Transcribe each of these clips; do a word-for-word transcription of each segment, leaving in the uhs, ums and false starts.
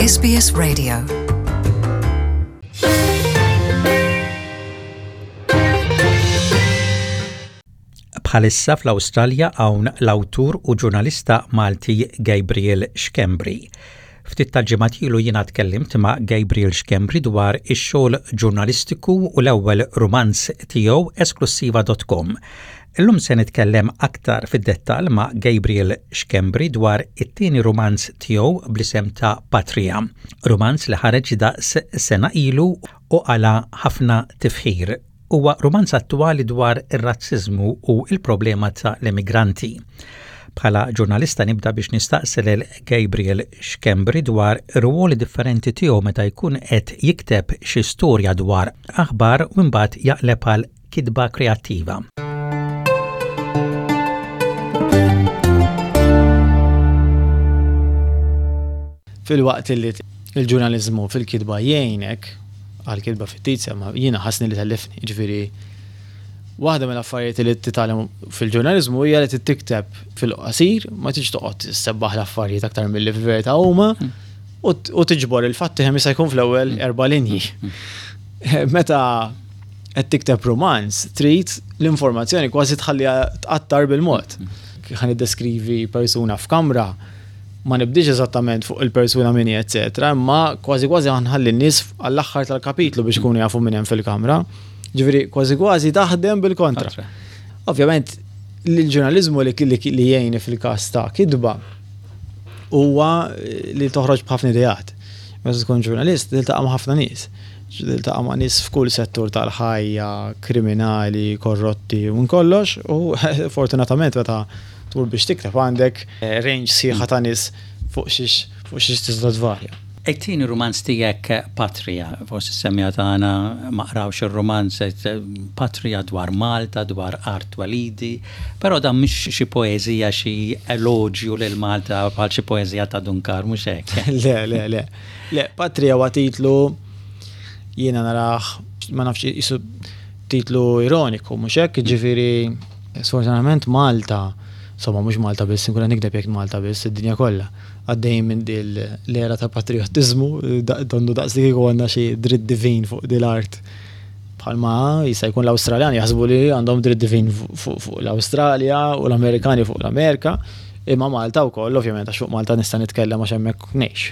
S B S Radio. Bħalissa fl-Awstralja hawn l-awtur u ġurnalista Malti Gabriel Schembri. Ftit tal-ġimgħat ilu jiena tkellimt ma' Gabriel Schembri dwar ix-xogħol ġurnalistiku u l-ewwel rumanz tiegħu esklussiva punt com. Illum se nitkellem aktar fid-dettall ma' Gabriel Schembri dwar it-tieni rumanz tiegħu bl-isem ta' Patria. Rumanz li ħareġ daqs sena ilu u qala' ħafna tifħir. Huwa rumanz attwali dwar ir-razziżmu u il-problema ta' l-immigranti. Bħala ġurnalista nibda biex nistaqsi lil Gabriel Schembri dwar ruoli differenti tiegħu meta jkun qed jikteb xi storja dwar aħbar u mbagħad jaqleb għal kitba kreattiva. Filwaqt li il-ġurnalizmu fil-kitba jgħinek għal kitba fittizja, ma jiena ħassni li tellifni, ġifieri waħda mill-affarijiet li titgħallem fil-ġurnalizmu hija li tikteb fil-qasir, ma tiġ toqgħod tissebbaħ l-affarijiet aktar milli fil-verità huma u u tiġbor il-fatti kemm jista' jkun fl-ewwel erba' linji. Meta qed tikteb romanz, trid l-informazzjoni kważi tħalliha tqattar bil-mod. Ħa niddeskrivi persuna f'kamra, ma nibdix eżattament fuq il-persuna min hi, eccetera, imma kważi kważi ħa nħalli n-nies għall-aħħar tal-kapitlu biex ikunu jafu min hemm fil-kamra. Ġifieri kważi kważi taħdem bil-kontra. Kontra. Ovvjament, l-ġurnalizmu li, li, li jgħini fil-każ ta' kitba huwa li toħroġ b'ħafna ideat. Meta tkun ġurnalist, tiltaqa' ma' ħafna nies. Tiltaqa' ma' nies f'kull settur tal-ħajja, kriminali, korrotti u kollox, u fortunatament meta tmur biex tikteb għandek eh, range sħiħa ta' nies fuq xiex fuq xiex tista' tvarja. It-tieni rumanz tiegħek Patria, forsi s-semmiegħa tagħna ma qrawx ir-rumanz Patria dwar Malta, dwar art twelidi, però dan mhix xi poeżija, xi eloġju lil Malta bħal xi poeżija ta' Dun Karm, mhux hekk? Le, le, le. Le, Patria huwa titlu jiena narah, ma nafx, jisu titlu ironiku, mhux hekk, ġifieri sfortunatament Malta, insomma mhux Malta biss, inkun nikdeb jekk Malta biss, id-dinja kollha għaddejn minn dil l-era ta' patriotizmu, donnu daqs li kieku għandna xi dritt divin fuq dil-art. Bħalma jista' jkun l-Awstraljani jaħsbu li għandhom dritt divin fuq fuq l-Awstralja u l-Amerikani fuq l-Amerika, imma Malta wkoll, ovvjament, għax fuq Malta nista' nitkellem għax hemmhekk ngħix,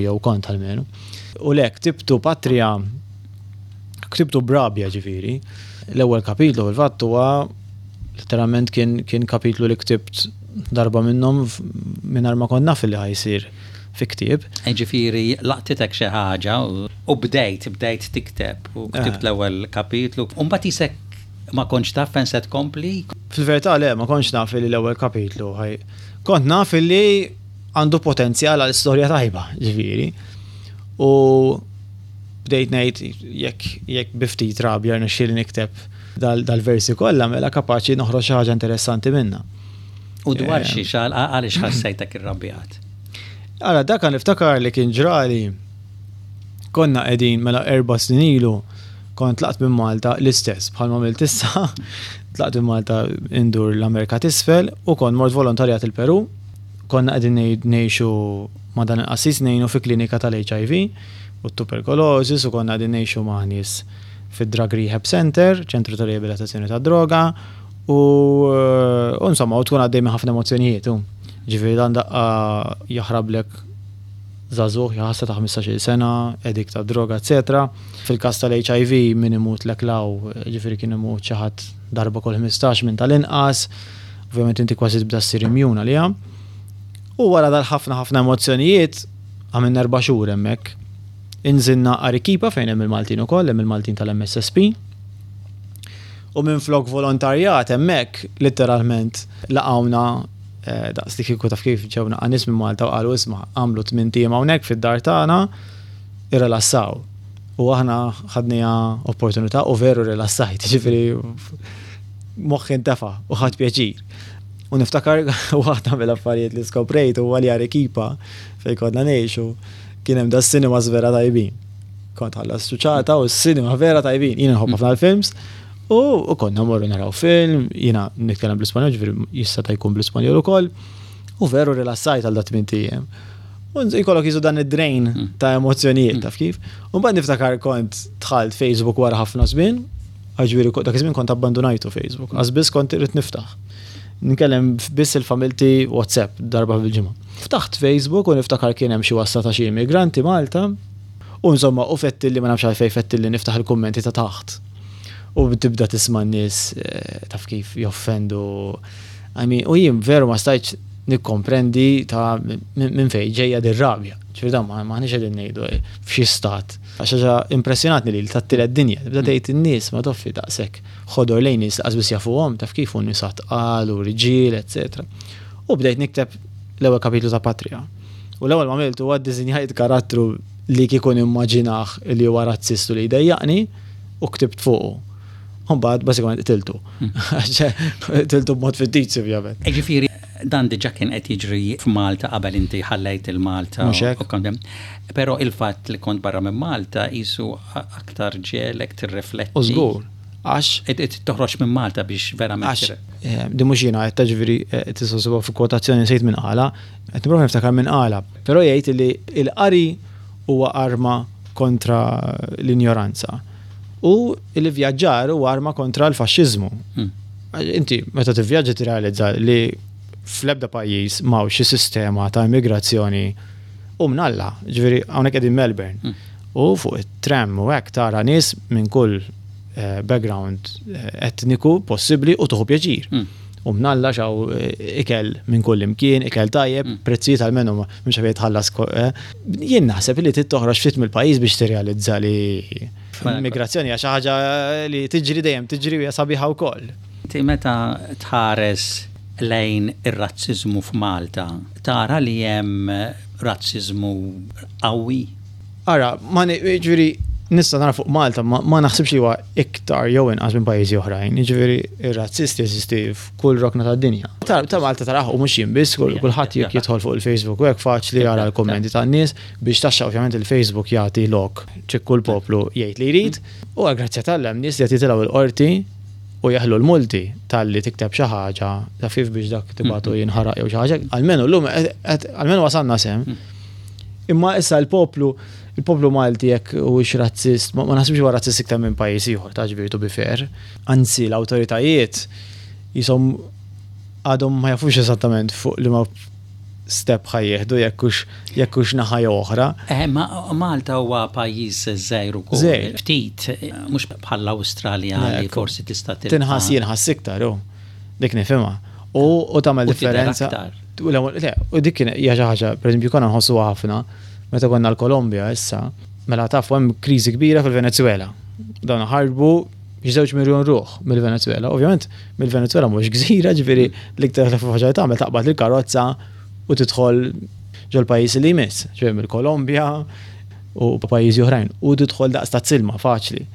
jew kont almenu. U lek, ktibtu Patria, ktibtu b'rabja ġifieri. L-ewwel kapitlu fil-fatt huwa letteralment kien, kien kapitlu li ktibt darba minnhom mingħajr ma kont naf li ħa jsir fi ktieb. Ġifieri laqtitek xi ħaġa u bdejt, bdejt tikteb u ktibt l-ewwel kapitlu. U mbagħad isek ma kontx taf fejn se tkompli? Fil-verità le, ma kontx naf li l-ewwel kapitlu ħaj. Kont naf li għandu potenzjal għal istorja tajba, ġifieri. U bdejt ngħid jekk jekk bi ftit rabja rnexxieli nikteb dal-versi kollha, mela kapaċi noħroġ xi ħaġa interessanti minnha. U dwar xi xal għaliex ħassejtek irrabjat? Ara, dak niftakar li kien ġrali, konna qegħdin, mela erba' snin ilu kont tlaqt minn Malta l-istess bħalma għamilt issa, tlaqt minn Malta indur l-Amerika t'Isfel u kont mort volontarjat il-Peru. Konna qegħdin ngħixu ma' dan il-qassis, ngħinu fi klinika tal-H I V u tuberculosis, u konna qegħdin ngħixu ma' nies fid-Drug Rehab Center, ċentru ta' riabilitazzjoni ta' droga, u, u insomma, u tkun għaddej minn ħafna emozzjonijiet. Ġifieri dan daqqa jaħrablek żagħżugħ jaħasra ta' ħmistax-il sena, addict ta' droga, eċċetera. Fil-każ tal-H I V min imut lek law, ġifieri kien imut xi ħadd darba kull ħmistax minn tal-inqas, ovvjament inti kważi tibda ssir immune għaliha. U wara dal-ħafna ħafna emozzjonijiet, għamilna erba' xhur hemmhekk. Inżilna Arequipa fejn hemm il-Maltin ukoll, hemm il-Maltin tal-M S S P. U minn flok volontarjat hemmhekk letteralment laqawna eh, daqs li kieku taf kif ġewna nies minn Malta u qalu, "Isma', għamlu tmint ijiem hawnhekk fid-dar tagħna, irrelassaw." U aħna ħadniha opportunità u veru rilassajt, ġifieri moħħi ntefa u ħadt pjaċir. U niftakar waħda mill-affarijiet li skoprejt huwa li Arequipa fejn konna ngħixu kien hemm da cinemas vera tajbin. Kont ħallas ċuċata u s-cinema vera tajbin. Jiena nħobb ħafna l-films. U, u konna morru naraw film, jiena nitkellem bl-Ispanjol, ġifieri jista' ta' jkun bl-Ispanjol ukoll. U veru rilassajt għal dat tmint ijiem. U jkollok jizu dan id-drain ta' emozjonijiet, taf kif. U mbagħad niftakar kont dħalt Facebook wara ħafna żmien, ġifieri dak iż-żmien kont abbandonajtu Facebook, għax biss kont irrid niftaħ. Nkellem biss il-familti WhatsApp darba fil-ġimgħa. Ftaħt Facebook u niftakar kien hemm xi wassa ta' xi immigranti Malta. U insomma, u fettilli, ma nafx għalfejn fettilli niftaħ il-kummenti ta' taħt. U tibda tisma' n-nies eh, taf kif joffendu. I mean, u jien veru ma stajtx nikkomprendi ta' minn fejn ġejja dir-rabja. Ġifieri dan ma maħniex qegħdin ngħidu eh, f'xi stat. Għax ħaġa impressjonatni li tat-tielet dinja, tibda tgħid in-nies ma toffi daqshekk ħodor lejn nies laqas biss jafuhom, taf kif u nisa tqal u riġiel, eċetera. U bdejt nikteb l-ewwel kapitlu ta' Patria. U l-ewwel ma għamiltu huwa ddisinjajt karattru li kieku nimmaġinah li huwa razzist u li jdejjaqni u ktibt fuqu. Mbagħad basikament qtiltu. Qtiltu b'mod fittizju, ovvjament. Ġifieri dan diġà kien qed jiġri f'Malta qabel inti ħallejt il-Malta. Mhux hekk. U kont- Però il-fatt li kont barra minn Malta jisu aktar ġiegħlek tirrifletti. U żgur, għax Qed qed toħroġ minn Malta biex verament. Għax, eh, di mhux jiena qed, ġifieri eh, tista' ssibha fi kwotazzjoni, nsejt minn qala, qed nipprova niftakar minn qala, però jgħid li l-qari huwa arma kontra l-injoranza. U l-vjaġġar huwa arma kontra l-faxxiżmu. Mm. Inti meta tivvjaġġa tirrealizza li fl-ebda pajjiż m'hawnx xi sistema ta' immigrazzjoni u mnalla, ġifieri hawnhekk qegħdin Melbourne. Mm. U fuq it-tram u hekk tara nies minn kull eh, background eh, etniku possibbli u tuħu pjaċir. Mm. U mnalla xaw eh, ikel minn kull imkien, ikel tajjeb, Mm. prezzijiet għalmenu ma mhux għalfejn tħallas. ko- eh. Jien naħseb li trid toħroġ ftit mill-pajjiż biex tirrealizza li l-immigrazzjoni hija xi ħaġa li tiġri dejjem tiġri u hija sabiħa wkoll. Inti meta tħares lejn ir-razziżmu f'Malta, tara li hemm razziżmu qawwi? Ara, ma ni- ġifieri nista' nara fuq Malta, ma, ma naħsibx li huwa iktar jew inqas minn pajjiżi oħrajn. Ġifieri ir-razzisti jeżisti f'kull rokna tad-dinja. Ta' ta' Malta taraħ u mhux jien biss, kull- kulħadd jekk jidħol fuq il-Facebook u hekk faċli jara l-kommenti tan-nies biex taxxa. Ovvjament il-Facebook jagħti lok ċikku l-poplu jgħid li jrid u għal grazzja t'Alla hemm nies li qed jitilgħu il-qorti u jaħlu l-multi talli tikteb xi ħaġa ta' kif biex dak tibatu jinħaraq jew xi ħaġa. Almenu llum qed- almenu wasalna s'hemm. Imma issa l-poplu, il-poplu Malti jekk huwiex razzist, ma ma naħsibx huwa razzist iktar minn pajjiż ieħor, ta' ġifieri to be fair. Anzi, l-awtoritajiet jisom għadhom ma jafux eżattament fuq li ma step ħa jieħdu, jekk hux jekk hux naħa jew oħra. Eh, ma Malta huwa pajjiż żgħir ukoll. Żgħir. Ftit, mhux bħall-Awstralja li Ekku. forsi tista' tilqa' Tinħass jinħass iktar, u dik nifhimha. U u tagħmel U tidher differenza. aktar. U l-ewwel- le, u dik kien hija xi ħaġa, pereżempju konna nħossuha ħafna meta konna l-Kolombja issa, mela tafu hemm kriżi kbira fil-Venezuela. Dawn ħarbu żewġ miljon ruħ mill-Venezuela. Ovvjament mill-Venezuela mhux gżira, ġifieri l-iktar ħaġa li tagħmel taqbad il-karozza u tidħol ġol pajjiż li jmiss, ġifieri mill-Kolombja u pajjiżi oħrajn u tidħol daqs ta' silma faċli.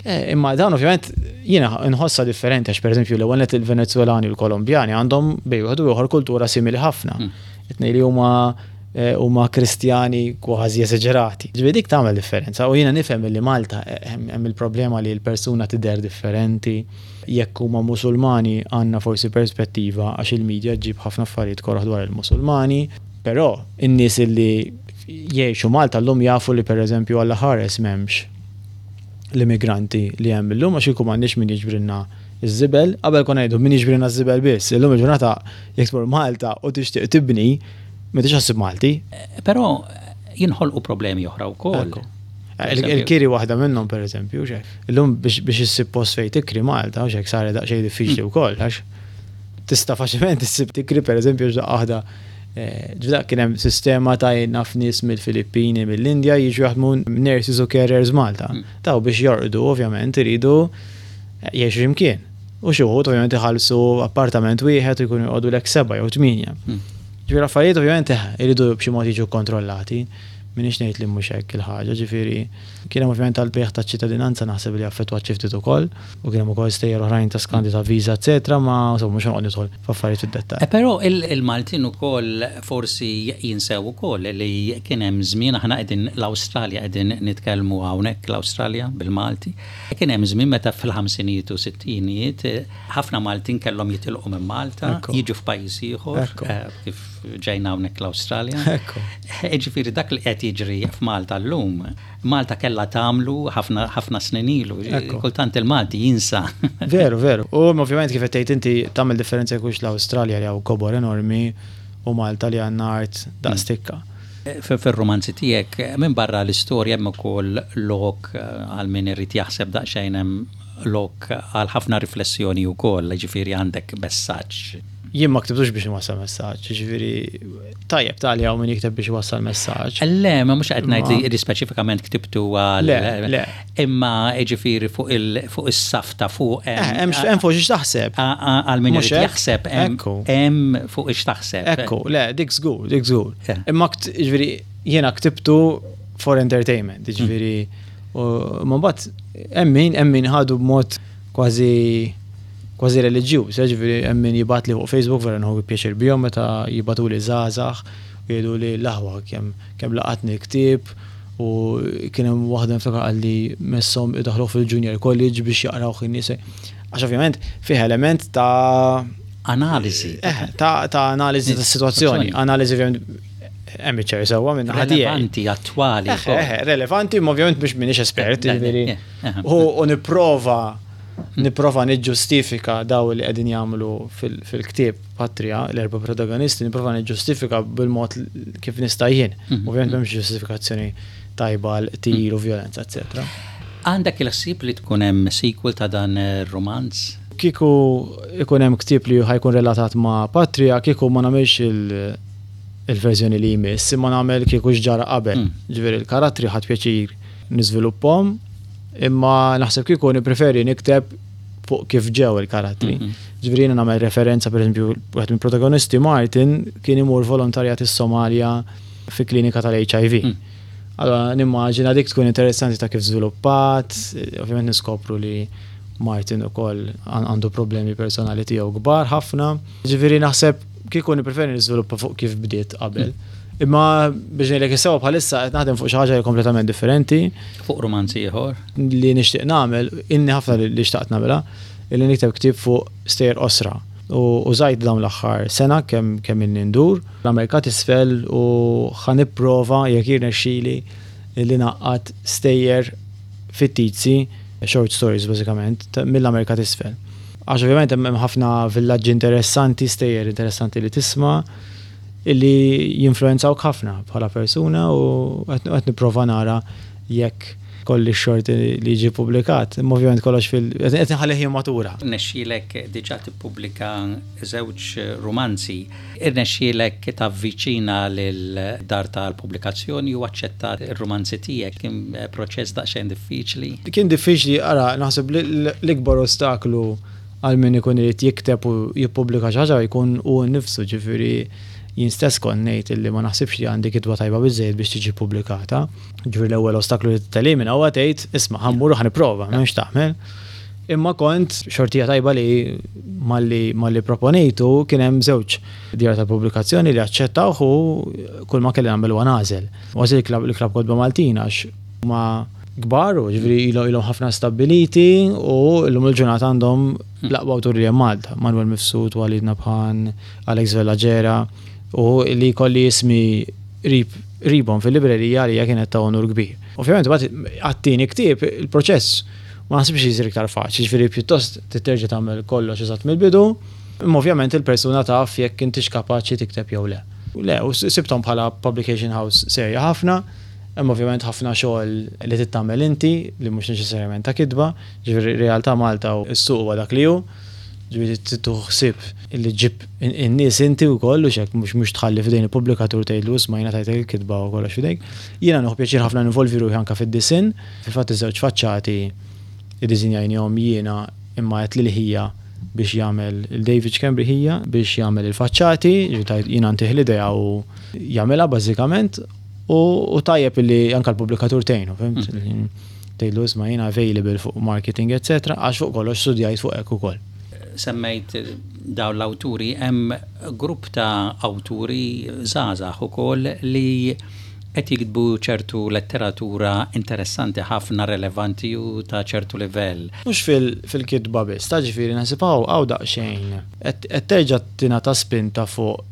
Eh, Imma dan ovvjament jiena nħossa differenti għax, pereżempju, l-ewwel net il-Venezuelani u l-Kolombjani għandhom bejn wieħed u ieħor kultura simili ħafna. It-tnejn li huma eh, huma Kristjani kważi esaġerati. Ġifieri dik tagħmel differenza u jiena nifhem li Malta eh, hemm hemm il-problema li l-persuna tidher differenti. Jekk huma Musulmani għandna forsi perspettiva għax il-medja ġġib ħafna affarijiet koroħ dwar il-Musulmani, però in-nies li jgħixu Malta llum jafu li, pereżempju, Alla ħares m'hemmx l-immigranti li hemm illum, għax ikun m'għandniex min jiġbrilna iż-żibel. Qabel konna ngħidu min jiġbrilna ż-żibel biss. Illum il-ġurnata jekk tmur Malta u tixtieq tibni, ma tix ħassib Malti. Però jinħolqu problemi oħra wkoll. Ekku. Il- Il-kiri waħda minnhom, pereżempju, xe. Illum biex biex issib post fejn tikri Malta, u xek sar daqsxejn diffiċli wkoll, għax tista' faċilment issib tikri, pereżempju, x'daqqa waħda eh, ġda kien hemm sistema ta' naf nies mill-Filippini, mill-Indja jiġu jaħdmu nurses u carers Malta. Taw biex jorqdu ovvjament iridu jgħixu x'imkien. U xi wħud ovvjament iħallsu appartament wieħed u jkunu joqogħdu lek seba' jew tmienja. Ġifieri affarijiet ovvjament eh, iridu b'xi mod jiġu kontrollati minn M'iniex ngħid li mhux hekk il-ħaġa, ġifieri kien hemm ovvjament tal-bejgħ taċ-ċittadinanza, naħseb li affettwat xi ftit ukoll, u kien hemm ukoll stejjer oħrajn ta' skandi ta' viża, eċetera, ma insomma mhux noqgħod nidħol f'affarijiet fid-dettall. Eh, Però il-Maltin ukoll forsi jinsew ukoll li kien hemm żmien, aħna qegħdin l-Awstralja, qegħdin nitkellmu hawnhekk l-Awstralja bil-Malti. Kien hemm żmien meta fil-ħamsinijiet u sittinijiet ħafna Maltin kellhom jitilqu minn Malta, jiġu f'pajjiż ieħor, eh, kif ġejna hawnhekk l-Awstralja. Ġifieri dak li qed jiġri f'Malta llum, Malta kellha tagħmlu ħafna ħafna snin ilu. Kultant il-Malti jinsa. Veru, veru. U ovvjament, kif qed tgħid inti, tagħmel differenza jekk l-Awstralja li hawn kobor enormi u Malta li għandna art daqs tikka. Fil-romanzi tiegħek, minn barra l-istorja, hemm ukoll lok għal min irid jaħseb daqsxejn, hemm lok għal ħafna riflessjoni wkoll, ġifieri għandek messaġġ. Jien ma ktibtux biex nwassal messaġġ, ġifieri tajjeb tali hawn min jikteb biex iwassal messaġġ. Le, ma mhux qed ngħid li speċifikament ktibtu għal. Le, le. Imma ġifieri fuq il fuq is-saf ta' fuq. Hemm hemm fuq x'taħseb. Għal min irid jaħseb, hemm fuq x'taħseb. Ekku, le, dik żgur, dik żgur. Imma ġifieri jiena ktibtu for entertainment, ġifieri u ma mbagħad hemm min hemm min ħadu b'mod kważi kważi reliġjuż, ġifieri hemm min jibgħat li fuq Facebook, vera nieħu pjaċir bihom meta jibagħtu li żgħażagħ u jgħidu li l-aħwa kemm kemm laqatni ktieb, u kien hemm waħda niftakar qalli messhom idaħlu fil-junior college biex jaqraw in-nies. Għax ovvjament fih element ta' analiżi. Eh, ta' ta' analiżi ta' situazzjoni, analiżi ovvjament amateur sewwa minn naħa tiegħi. Relevanti, attwali. Eh, eh, relevanti, ma ovvjament biex m'iniex espert, ġifieri. U nipprova nipprova niġġustifika daw li qegħdin jagħmlu fil-ktieb Patria, l-erba' protagonisti, nipprova niġġustifika bil-mod kif nista' jien. Mhm. Ovvjament m'hemmx ġustifikazzjoni tajba għal qtil u violenza, eċetera. Għandek il-ħsieb li tkun hemm sequel ta' dan ir-romanz? Kieku ikun hemm ktieb li ħa jkun relatat ma' Patria, kieku ma nagħmilx il- il-verżjoni li jmiss, imma nagħmel kieku x'ġara qabel. Mm. Ġifieri il-karattri ħadt pjaċir niżviluppahom, imma naħseb kieku nippreferi nikteb fuq kif ġew il-karattri. Mm-hmm. Ġifieri jiena nagħmel referenza, pereżempju, wieħed mill-protagonisti, Martin, kien imur volontarjat is-Somalja fi klinika tal-H I V. Mm. Allora nimmaġina dik tkun interessanti ta' kif żviluppat, ovvjament niskopru li Martin ukoll għandu problemi personali tiegħu kbar ħafna. Ġifieri naħseb kieku nippreferi niżviluppa fuq kif bdiet qabel. Imma biex ngħidlek is-sewwa, bħalissa qed naħdem fuq xi ħaġa kompletament differenti. Fuq romanzi ieħor? Li nixtieq nagħmel, inni ħafna li xtaqt nagħmilha, illi nikteb ktieb fuq stejjer qosra. U użajt dawn l-aħħar sena kemm kemm inni ndur l-Amerika t'Isfel u ħa nipprova, jekk jirnexxieli, li ngħaqqad stejjer fittizji, short stories bażikament, mill-Amerika t'Isfel. Għax ovvjament hemm ħafna villaġġi interessanti, stejjer interessanti li tisma' illi jinfluenzawk ħafna bħala persuna, u qed nipprova nara jekk kolli xorti li jiġi publikat. Imma ovvjament kollox fil- qed nħallih matura. Irnexxielek diġà tippubblika żewġ romanzi. Irnexxielek tavviċina lil dar tal-pubblikazzjoni u aċċettat ir-romanzi tiegħek. Kien proċess daqsxejn diffiċli? Kien diffiċli, ara, naħseb l-ikbar ostaklu għal min ikun irid jikteb u jippubblika xi ħaġa jkun hu nnifsu, ġifieri jien stess kont ngħid illi ma naħsibx li għandi kitba tajba biżejjed biex tiġi pubblikata. Ġifieri l-ewwel ostaklu li telimina huwa tgħid, "Isma', ħa mmur u ħa nipprova, m'hemmx tagħmel." Imma kont xortija tajba li malli malli proponejtu kien hemm żewġ djar ta' pubblikazzjoni li aċċettawh u kull ma kelli nagħmel huwa nagħżel. U għażilt il-Klabb Kotba Maltin għax huma kbar u ġifieri ilhom ħafna stabiliti u llum il-ġurnata għandhom l-aqwa awturi li Malta. Manuel Mifsud, Walid Nabhan, Alex Vella Gera, u li kolli ismi qrib qribhom fil-librerija li kienet ta' onur kbir. Ovvjament, għat-tieni ktieb il-proċess ma naħsibx jisir iktar faċli, ġifieri pjuttost terġa' tagħmel kollox eżatt mill-bidu, imma ovvjament il-persuna taf jekk intix kapaċi tikteb jew le. Le, u sibthom bħala publication house serja ħafna, hemm ovvjament ħafna xogħol li tagħmel inti li mhux neċessarjament ta' kitba, ġifieri realtà Malta u s-suq huwa dak li hu, ġifieri tieħu ħsieb illi ġib in-nies inti wkoll u xek mhux mhux tħalli f'idejn il-pubblikatur, tgħidlu, "Isma', jiena tajtek il-kitba u kollox f'idejk." Jiena nieħu pjaċir ħafna ninvolvi ruħi anke fid-disinn, fil-fatt iż-żewġ faċċati iddisinjajnihom jiena, imma għedt lil ħija biex jagħmel, il-David Schembri ħija, biex jagħmel il-faċċati, jiena ntih l-idea u jagħmilha bażikament. U tajjeb li anka l-pubblikatur tgħinu, fhimt? Mm. Tgħidlu isma' jiena available fuq marketing, eccetera, għax fuq kollox studjajt fuq hekk ukoll. Semmejt dawn l-awturi, hemm grupp ta' awturi żgħażagħ ukoll li qed jiktbu ċertu letteratura interessanti ħafna, relevanti u ta' ċertu livell. Mhux fil-kitba biss, ta' ġifieri naħseb hawn daqsxejn. Qed terġa' tingħata spinta fuq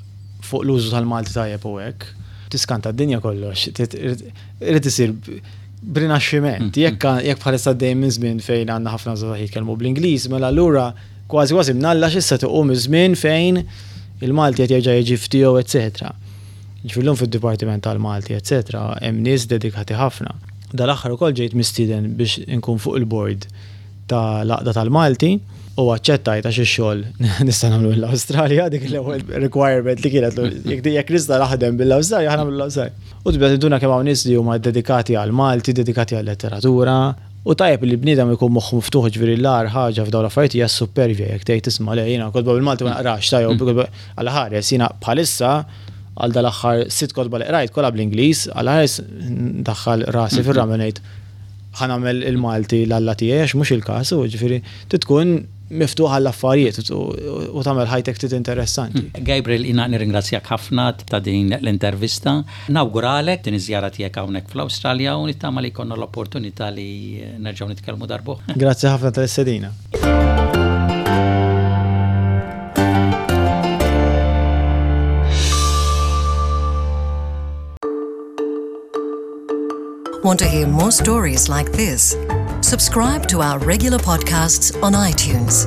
fuq l-użu tal-Malti tajjeb u hekk. Tiskanta d-dinja kollox, irid isir b'rinaxximent. Mm. Jekk jekk bħalissa dejjem minn żmien fejn għandna ħafna żgħażagħ jitkellmu bl-Ingliż, mela allura kważi kważi mnalla x'issa tiqum iż-żmien fejn il-Malti qed jerġa' jiġi ftiegħu, eċetera. Ġifieri fid-Dipartiment tal-Malti, eċetera, hemm nies dedikati ħafna. Dal-aħħar ukoll ġejt mistieden biex inkun fuq il-board ta' l-Għaqda tal-Malti u aċċettajt għax ix-xogħol nista' nagħmlu l-Awstralja, dik l-ewwel requirement li kienet, jekk nista' naħdem bil-Awstralja, ħa nagħmlu l-Awstralja. U tibda tinduna kemm hawn nies li huma dedikati għal Malti, dedikati għal letteratura. U tajjeb li bniedem ikun moħħu miftuħ, ġifieri l-agħar ħaġa f'dawn l-affarijiet hija supervja, jekk tgħid tisma' le jiena kotba bil-Malti ma naqrax, tajjeb għal ħares jiena bħalissa għal dal-aħħar sitt kotba li qrajt kollha bl-Ingliż, għal ħares daħħal rasi fir-ramel ngħid ħa nagħmel il-Malti l-alla tiegħi, għax mhux il-każ, u ġifieri tkun miftuħ għall-affarijiet u tagħmel ħajtek ftit interessanti. Gabriel, jiena nirringrazzjak ħafna ta' din l-intervista. Nawguralek din iż-żjara tiegħek hawnhekk fl-Awstralja u nittama li jkollna l-opportunità li nerġgħu nitkellmu darb'oħra. Grazzi ħafna tal-istedina. Want to hear more stories like this? Subscribe to our regular podcasts on iTunes.